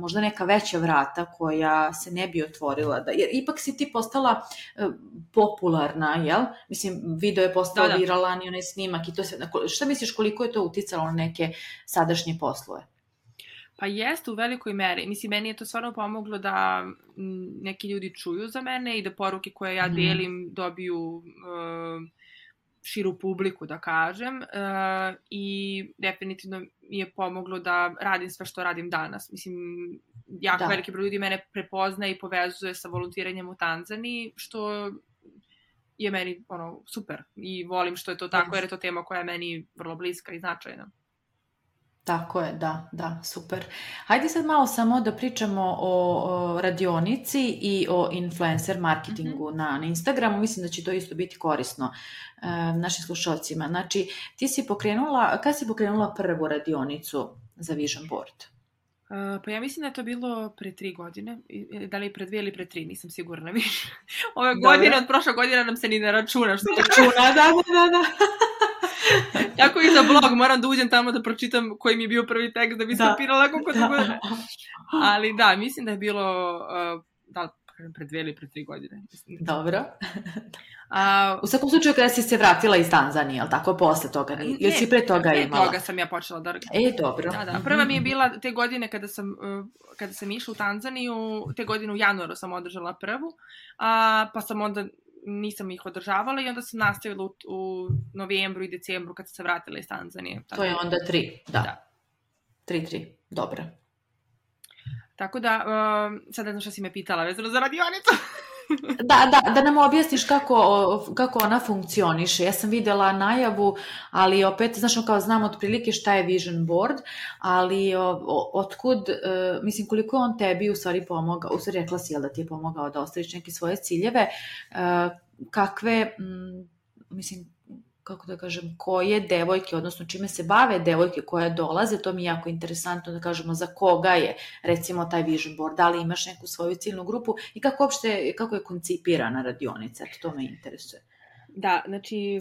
možda neka veća vrata koja se ne bi otvorila, jer ipak si ti postala popularna, jel? Mislim, video je postao viralan i onaj snimak i to se, šta misliš koliko je to uticalo na neke sadašnje poslove? Pa jeste u velikoj meri. Mislim, meni je to stvarno pomoglo da neki ljudi čuju za mene i da poruke koje ja delim dobiju širu publiku, da kažem, i definitivno mi je pomoglo da radim sve što radim danas. Mislim, jako veliki broj ljudi mene prepoznaje i povezuje sa volontiranjem u Tanzaniji, što je meni super i volim što je to tako, jer je to tema koja je meni vrlo bliska i značajna. Tako je, da, super. Hajde sad malo samo da pričamo o radionici i o influencer marketingu na Instagramu. Mislim da će to isto biti korisno našim slušalcima. Znači, kada si pokrenula prvu radionicu za Vision Board? Pa ja mislim da je to bilo pre 3 godine, da li pre 2 ili pre 3, nisam sigurna više. Ove godine, od prošle godine nam se ni ne računa. Što računa, da. Tako i za blog, moram da uđem tamo da pročitam koji mi je bio prvi tekst da bi skapirala koliko to bude. Ali da, mislim da je bilo, pre 2 ili pre 3 godine. Dobro. U svakom slučaju kada si se vratila iz Tanzanije, ali tako posle toga? Ili si pre toga imala? Pre toga sam ja počela da... Dobro. Da. Prva mi je bila te godine kada sam išla u Tanzaniju, te godine u januaru sam održala prvu, pa sam onda nisam ih održavala i onda sam nastavila u novembru i decembru kad sam se vratila iz Tanzanije. To je onda 3, da. 3, dobro. Tako da, sad ne znam šta si me pitala vezano za radionicu. Da nam objasniš kako ona funkcioniše. Ja sam videla najavu, ali opet, znaš, kao znam otprilike šta je Vision Board, ali otkud, mislim, koliko on tebi u stvari pomogao, u stvari rekla si, jel da ti je pomogao da ostvariš neke svoje ciljeve, kakve, mislim, kako da kažem, koje devojke, odnosno čime se bave devojke koje dolaze, to mi je jako interesantno da kažemo za koga je, recimo, taj Vision Board, da li imaš neku svoju ciljnu grupu i kako je koncipirana radionica, to me interesuje. Da, znači,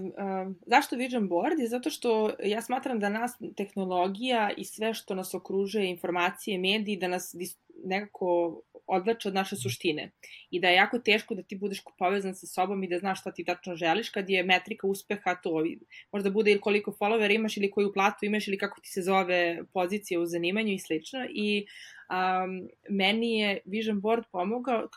zašto Vision Board? Je zato što ja smatram da nas tehnologija i sve što nas okružuje, informacije, mediji, da nas nekako odvlače od naše suštine. I da je jako teško da ti budeš povezan sa sobom i da znaš šta ti tačno želiš, kad je metrika uspeha to. Možda bude ili koliko followera imaš, ili koju platu imaš, ili kako ti se zove pozicija u zanimanju i slično. I meni je Vision Board pomogao,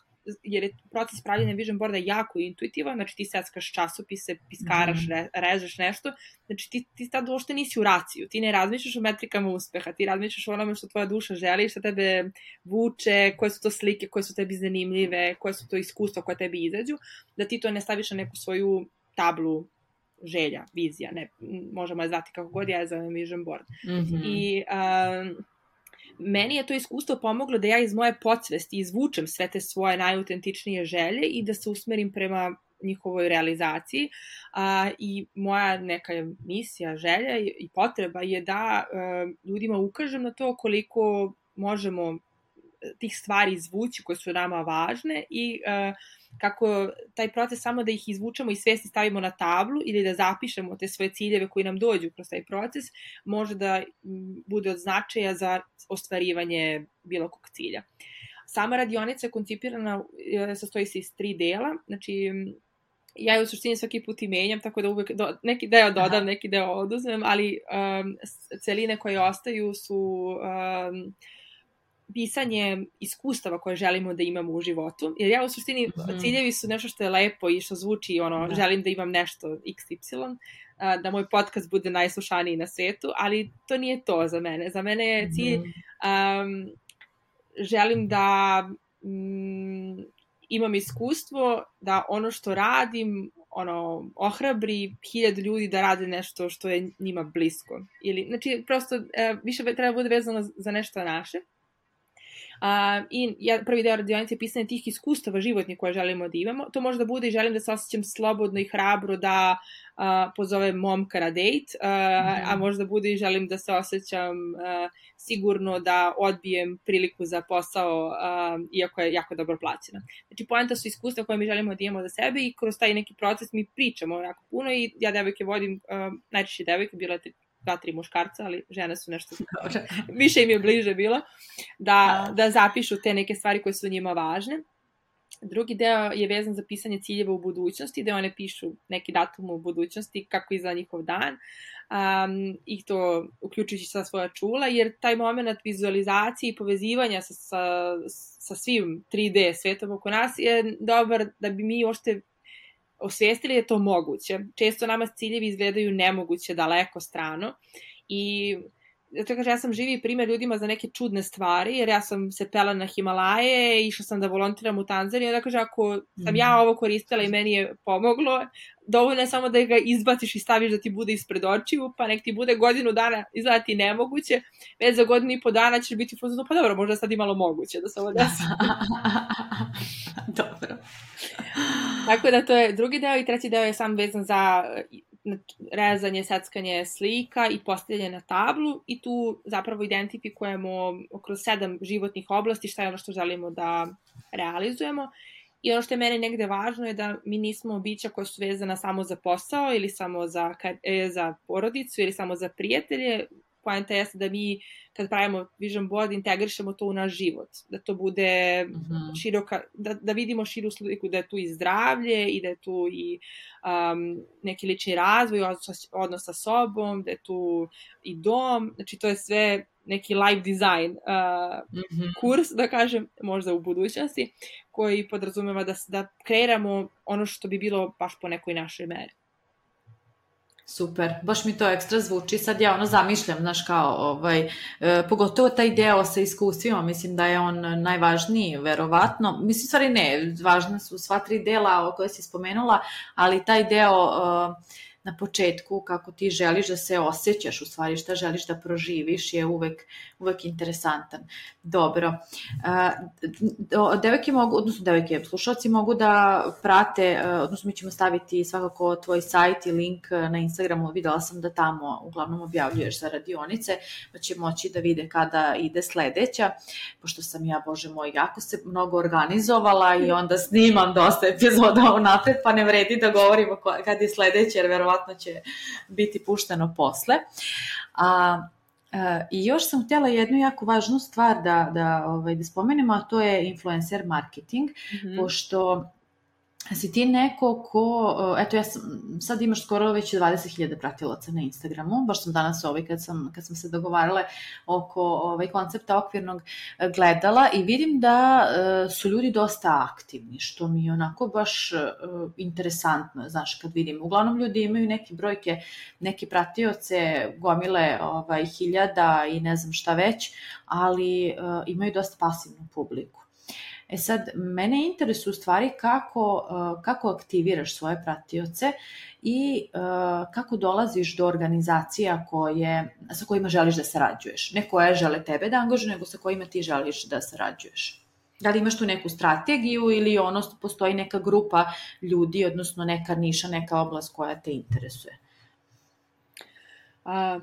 jer je proces pravljenja Vision Boarda jako intuitivan, znači ti seckaš časopise, piskaraš, režeš nešto, znači ti tad uopšte nisi u raciju, ti ne razmišljaš o metrikama uspeha, ti razmišljaš o onome što tvoja duša želi, što tebe vuče, koje su to slike, koje su tebi zanimljive, koje su to iskustva koje tebi izađu, da ti to ne staviš na neku svoju tablu želja, vizija, ne, možemo je zvati kako god, ja je zovem Vision Board. I meni je to iskustvo pomoglo da ja iz moje podsvesti izvučem sve te svoje najautentičnije želje i da se usmerim prema njihovoj realizaciji. I moja neka misija, želja i potreba je da ljudima ukažem na to koliko možemo tih stvari izvući koje su nama važne i kako taj proces samo da ih izvučemo i svesti stavimo na tablu ili da zapišemo te svoje ciljeve koji nam dođu kroz taj proces, može da bude od značaja za ostvarivanje bilo kog cilja. Sama radionica je koncipirana, sastoji se iz 3 dela, znači ja je u suštini svaki put i menjam, tako da uvek neki deo dodam, neki deo oduzmem, ali celine koje ostaju su pisanje iskustava koje želimo da imamo u životu, jer ja u suštini ciljevi su nešto što je lepo i što zvuči želim da imam nešto XY, da moj podcast bude najslušaniji na svetu, ali to nije to za mene. Za mene je cilj želim da imam iskustvo da ono što radim ohrabri 1000 ljudi da rade nešto što je njima blisko. Znači, prosto više treba bude vezano za nešto naše. I prvi deo radionice je pisanje tih iskustava životnih koje želimo da imamo. To može da bude i želim da se osjećam slobodno i hrabro da pozovem momka na dejt, a možda bude i želim da se osjećam sigurno da odbijem priliku za posao, iako je jako dobro plaćena. Znači, poenta su iskustva koje mi želimo da imamo za sebe i kroz taj neki proces mi pričamo jako puno i ja devojke vodim, najčešće devojke, bilo je 2-3 muškarca, ali žene su nešto više im je bliže bilo, da zapišu te neke stvari koje su njima važne. Drugi deo je vezan za pisanje ciljeva u budućnosti, gde one pišu neki datum u budućnosti, kako izgleda njihov dan, i to uključujući sa svoja čula, jer taj moment vizualizacije i povezivanja sa svim 3D svetom oko nas je dobar da bi mi ošte osvijestili da je to moguće. Često nama ciljevi izgledaju nemoguće, daleko, strano i zato kažem, ja sam živi primjer ljudima za neke čudne stvari, jer ja sam se pela na Himalaje, išla sam da volontiram u Tanzaniji, onda kaže, ako sam ja ovo koristila i meni je pomoglo, dovoljno je samo da ga izbaciš i staviš da ti bude ispred očiju, pa nek ti bude godinu dana izgleda ti nemoguće, već za 1.5 godina ćeš biti fuzno, pa dobro, možda sad i malo moguće da se ovo desi. Dobro. Tako da to je drugi deo i treći deo je sam vezan za rezanje, seckanje slika i postavljanje na tablu i tu zapravo identifikujemo kroz 7 životnih oblasti šta je ono što želimo da realizujemo. I ono što je meni negde važno je da mi nismo bića koja su vezana samo za posao ili samo za porodicu ili samo za prijatelje. Poenta jeste da mi kad pravimo Vision Board integrišemo to u naš život, da to bude široka, da vidimo širu sliku, da je tu i zdravlje i da je tu i neki lični razvoj, odnos sa sobom, da je tu i dom, znači to je sve neki life design kurs, da kažem, možda u budućnosti, koji podrazumeva da kreiramo ono što bi bilo baš po nekoj našoj meri. Super, baš mi to ekstra zvuči, sad ja zamišljam, znaš kao, pogotovo taj deo sa iskustvima, mislim da je on najvažniji, verovatno, mislim stvari ne, važna su sva 3 dela koje si spomenula, ali taj deo na početku kako ti želiš da se osjećaš, u stvari šta želiš da proživiš je uvek interesantan. Dobro. Devojke mogu, odnosno devojke, slušalci mogu da prate, odnosno mi ćemo staviti svakako tvoj sajt i link na Instagramu, videla sam da tamo uglavnom objavljuješ za radionice, pa će moći da vide kada ide sledeća, pošto sam ja, bože moj, jako se mnogo organizovala i onda snimam dosta epizoda unapred, pa ne vredi da govorimo kad je sledeća, jer verovatno će biti pušteno posle. I još sam htjela jednu jako važnu stvar da spomenemo, a to je influencer marketing, pošto si ti neko ko, eto ja sam, sad imaš skoro već 20.000 pratilaca na Instagramu, baš sam danas kad sam se dogovarale oko koncepta okvirnog gledala i vidim da su ljudi dosta aktivni, što mi je onako baš interesantno, znaš, kad vidim. Uglavnom ljudi imaju neke brojke, neke pratioce, gomile hiljada i ne znam šta već, ali imaju dosta pasivnu publiku. E sad, mene interesuje u stvari kako aktiviraš svoje pratioce i kako dolaziš do organizacija sa kojima želiš da sarađuješ. Ne koje žele tebe da angažuju, nego sa kojima ti želiš da sarađuješ. Da li imaš tu neku strategiju ili postoji neka grupa ljudi, odnosno neka niša, neka oblast koja te interesuje?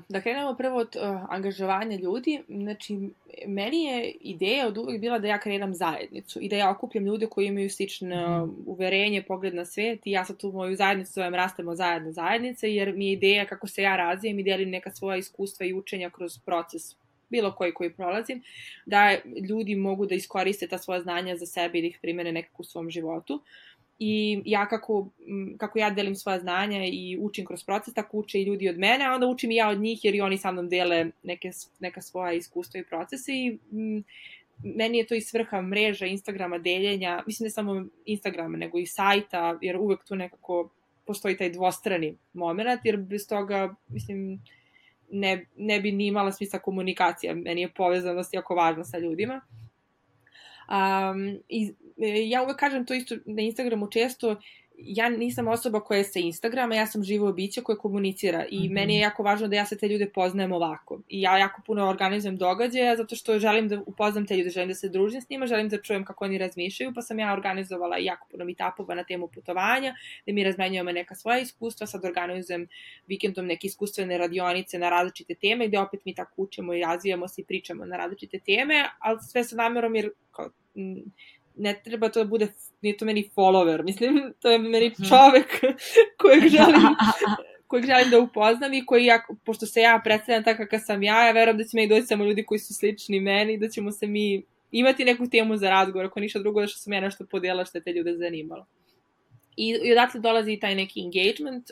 Da krenemo prvo od angažovanja ljudi. Znači, meni je ideja od uvek bila da ja kreiram zajednicu i da ja okupljam ljude koji imaju slično uverenje, pogled na svet i ja sad tu moju zajednicu zovem Rastemo zajedno zajednice, jer mi je ideja kako se ja razvijem i delim neka svoja iskustva i učenja kroz proces bilo koji prolazim, da ljudi mogu da iskoriste ta svoja znanja za sebe i da ih primene nekako u svom životu. I ja kako ja delim svoja znanja i učim kroz proces, tako uče i ljudi od mene, a onda učim i ja od njih jer i oni sa mnom dele neka svoja iskustva i procese i meni je to i svrha mreža Instagrama, deljenja, mislim ne samo Instagrama, nego i sajta, jer uvek tu nekako postoji taj dvostrani moment, jer bez toga, mislim, ne bi ni imala smisla komunikacija, meni je povezanost jako važna sa ljudima. I ja uvek kažem to isto na Instagramu često, ja nisam osoba koja je sa Instagrama, ja sam živo biće koje komunicira i meni je jako važno da ja se te ljude poznajem ovako i ja jako puno organizujem događaja zato što želim da upoznam te ljude, želim da se družim s njima, želim da čujem kako oni razmišljaju, pa sam ja organizovala jako puno meetupova na temu putovanja, da mi razmenjujemo neka svoja iskustva, sad organizujem vikendom neke iskustvene radionice na različite teme gde opet mi tako učimo i razvijamo se i pričamo na različite teme, ali sve sa namerom jer ne treba to da bude, nije to meni follower, mislim, to je meni čovek kojeg želim da upoznam i koji, pošto se ja predstavljam tako kakav sam ja verujem da će meni doći samo ljudi koji su slični meni, da ćemo se mi imati neku temu za razgovor, ako ništa drugo da što sam ja nešto podijela što je te ljude zanimalo. I odatle dolazi taj neki engagement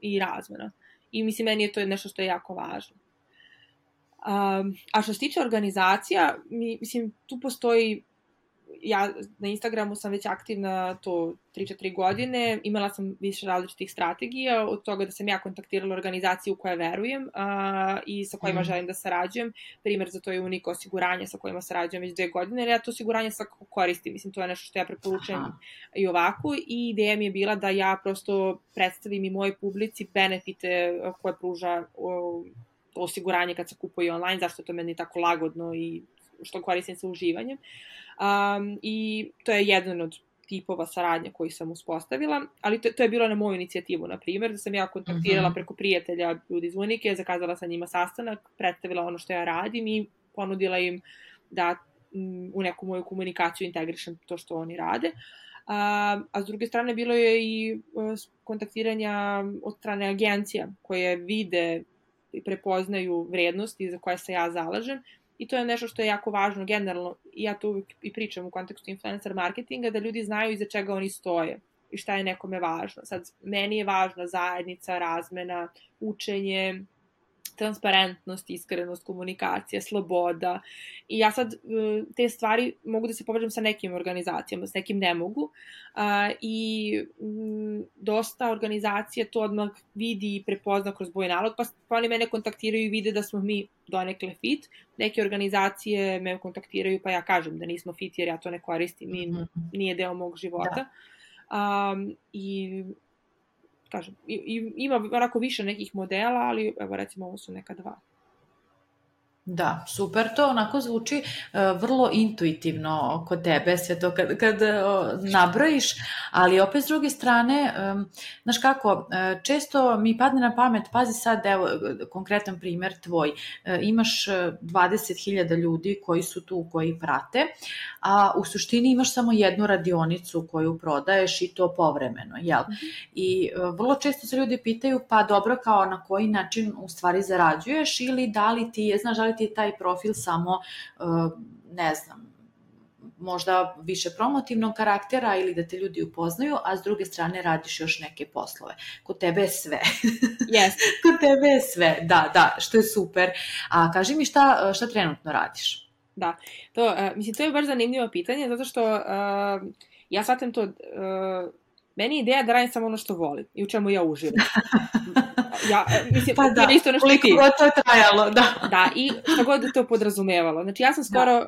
i razmena. I mislim, meni je to nešto što je jako važno. A što se tiče organizacija, mislim, tu postoji, ja na Instagramu sam već aktivna to 3-4 godine, imala sam više različitih strategija, od toga da sam ja kontaktirala organizaciju u koje verujem i sa kojima želim da sarađujem. Primer za to je Unika osiguranje sa kojima sarađujem već 2 godine, jer ja to osiguranje svakako koristim, mislim, to je nešto što ja preporučujem i ovako i ideja mi je bila da ja prosto predstavim i moje publici benefite koje pruža osiguranje kad se kupuje online, zašto je to meni tako lagodno i što koristim sa uživanjem. I to je jedan od tipova saradnje koji sam uspostavila, ali to je bilo na moju inicijativu, na primjer, da sam ja kontaktirala preko prijatelja ljudi iz Unike, zakazala sa njima sastanak, predstavila ono što ja radim i ponudila im da u neku moju komunikaciju integrišem to što oni rade. A s druge strane bilo je i kontaktiranja od strane agencija koje vide i prepoznaju vrednosti za koje se ja zalažem. I to je nešto što je jako važno generalno, i ja to uvijek i pričam u kontekstu influencer marketinga, da ljudi znaju iza čega oni stoje i šta je nekome važno. Sad, meni je važna zajednica, razmena, učenje, transparentnost, iskrenost, komunikacija, sloboda. I ja sad te stvari mogu da se povežem sa nekim organizacijama, s nekim ne mogu. I dosta organizacije to odmah vidi i prepozna kroz moj nalog, pa oni mene kontaktiraju i vide da smo mi donekle fit. Neke organizacije me kontaktiraju pa ja kažem da nismo fit jer ja to ne koristim i nije deo mog života. I kažem, ima onako više nekih modela, ali evo recimo ovo su neka 2. Da, super, to onako zvuči vrlo intuitivno kod tebe, sve to kad nabrojiš, ali opet s druge strane, znaš kako, često mi padne na pamet, pazi sad, evo, konkretan primjer tvoj, imaš 20.000 ljudi koji su tu, koji prate, a u suštini imaš samo jednu radionicu koju prodaješ i to povremeno, jel? I vrlo često se ljudi pitaju, pa dobro, kao na koji način u stvari zarađuješ ili da li ti je, znaš, da li ti je taj profil samo, ne znam, možda više promotivnog karaktera ili da te ljudi upoznaju, a s druge strane radiš još neke poslove. Kod tebe je sve. Yes. Kod tebe je sve, da, što je super. A kaži mi šta trenutno radiš? Da, to je baš zanimljivo pitanje, zato što ja shvatim to, meni je ideja da radim samo ono što volim i u čemu ja uživam. Mislim, pa da, isto nešto koliko god to trajalo, da. Da, i što god to podrazumevalo. Znači, ja sam skoro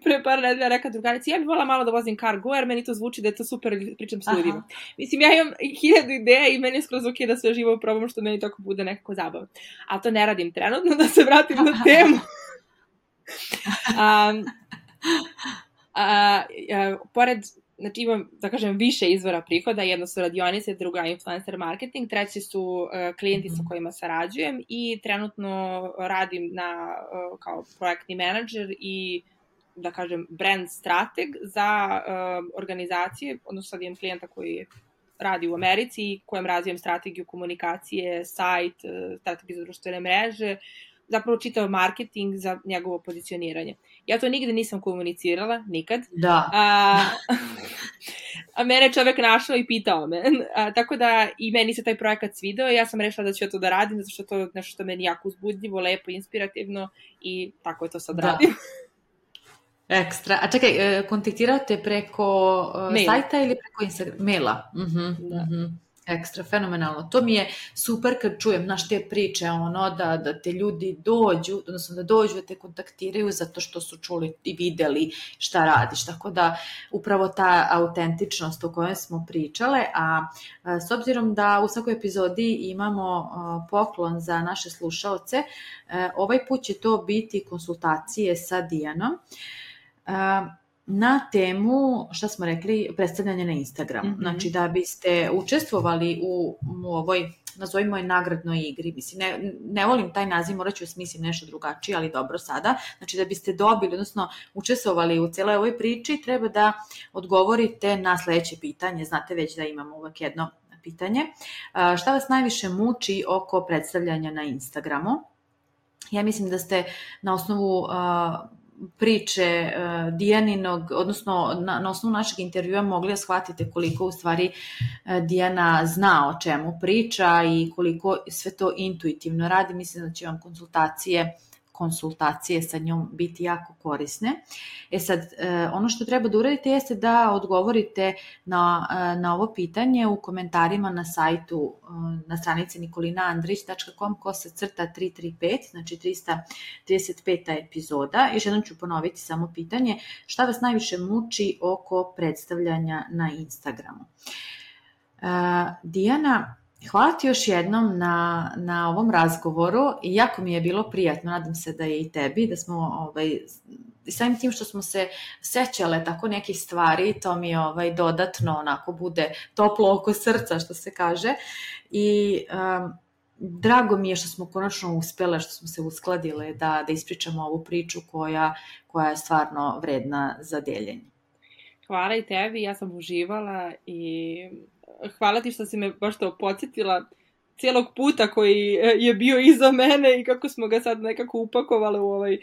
pre par nedelja rekla drugarici, ja bih volila malo da vozim cargo, jer meni to zvuči da je to super, pričam s ljudima. Mislim, ja imam 1000 ideja i meni je skroz ok da sve živo probam, što meni tako bude nekako zabavno. Ali to ne radim trenutno, da se vratim na temu. Pored, znači imam, da kažem, više izvora prihoda, jedno su radionice, druga influencer marketing, treći su klijenti sa kojima sarađujem i trenutno radim kao projektni menadžer i, da kažem, brand strateg za organizacije, odnosno sad imam klijenta koji radi u Americi, kojem razvijem strategiju komunikacije, sajt, strategiju za društvene mreže, zapravo čitao marketing za njegovo pozicioniranje. Ja to nigde nisam komunicirala, nikad. Da. A mene je čovek našao i pitao me. Tako da i meni se taj projekat svidao i ja sam rešila da ću ja to da radim, zato što to je nešto što meni jako uzbudljivo, lepo, inspirativno i tako je to sad radim. Ekstra. A čekaj, kontaktirao te preko sajta ili preko Instagrama? Maila. Ekstra, fenomenalno. To mi je super kad čujem, znaš, te priče, da te ljudi dođu, odnosno da dođu da te kontaktiraju zato što su čuli i videli šta radiš. Tako da, upravo ta autentičnost o kojoj smo pričale, a s obzirom da u svakoj epizodi imamo poklon za naše slušaoce, ovaj put će to biti konsultacije sa Dijanom. Na temu, šta smo rekli, predstavljanje na Instagramu. Znači, da biste učestvovali u ovoj, nazovimo je, nagradnoj igri. Mislim, ne volim taj naziv, morat ću smislim nešto drugačije, ali dobro sada. Znači, da biste dobili, odnosno učestvovali u cijeloj ovoj priči, treba da odgovorite na sledeće pitanje. Znate već da imamo uvek jedno pitanje. Šta vas najviše muči oko predstavljanja na Instagramu? Ja mislim da ste na osnovu priče Dijaninog, odnosno na osnovu našeg intervjua mogli da shvatite koliko u stvari Dijana zna o čemu priča i koliko sve to intuitivno radi. Mislim da će vam konsultacije sa njom biti jako korisne. Sad, ono što treba da uradite jeste da odgovorite na ovo pitanje u komentarima na sajtu, na stranici nikolinaandrić.com/335, znači 335. epizoda. Još jednom ću ponoviti samo pitanje, šta vas najviše muči oko predstavljanja na Instagramu? Dijana, hvala ti još jednom na ovom razgovoru i jako mi je bilo prijatno, nadam se da je i tebi, da smo i samim tim što smo se sećale tako nekih stvari, to mi dodatno onako bude toplo oko srca, što se kaže, i drago mi je što smo konačno uspjele, što smo se uskladile da ispričamo ovu priču koja je stvarno vredna za deljenje. Hvala i tebi, ja sam uživala i hvala ti što si me baš to podsjetila cijelog puta koji je bio iza mene i kako smo ga sad nekako upakovali u ovaj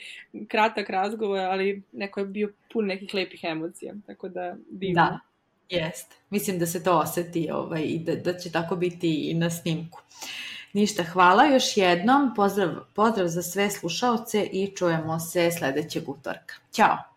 kratak razgovor, ali neko je bio pun nekih lepih emocija, tako da divno. Da, jest. Mislim da se to osjeti i da će tako biti i na snimku. Ništa, hvala još jednom, pozdrav za sve slušaoce i čujemo se sledećeg utorka. Ćao!